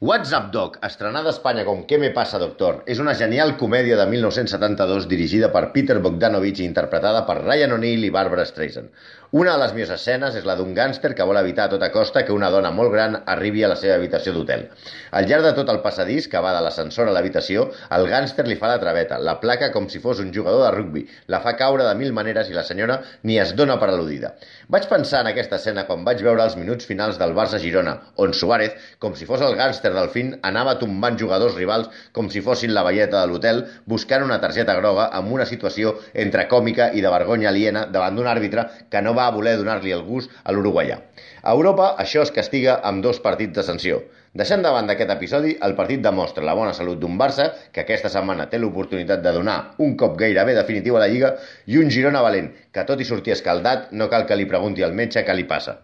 What's Up Doc, estrenada a Espanya com ¿Qué me pasa, doctor? És una genial comèdia de 1972 dirigida per Peter Bogdanovich i interpretada per Ryan O'Neal i Barbara Streisand. Una de les millors escenes és la d'un gàngster que vol evitar a tota costa que una dona molt gran arribi a la seva habitació d'hotel. Al llarg de tot el passadís, que va de l'ascensor a l'habitació, el gàngster li fa la traveta, la placa com si fos un jugador de rugbi, la fa caure de mil maneres i la senyora ni es dona per al·ludida. Vaig pensar en aquesta escena quan vaig veure els minuts finals del Barça-Girona, on Suárez, com si fos el gàngster del film, anava tombant jugadors rivals com si fossin la velleta de l'hotel, buscant una targeta groga amb una situació entre còmica i de vergonya aliena davant d'un àrbitre que no va voler donar-li el gust a l'uruguaià. A Europa, això es castiga amb 2 partits de sanció. Deixant de banda aquest episodi, el partit demostra la bona salut d'un Barça, que aquesta setmana té l'oportunitat de donar un cop gairebé definitiu a la Lliga, i un Girona valent, que tot i sortir escaldat, no cal que li pregunti al metge què li passa.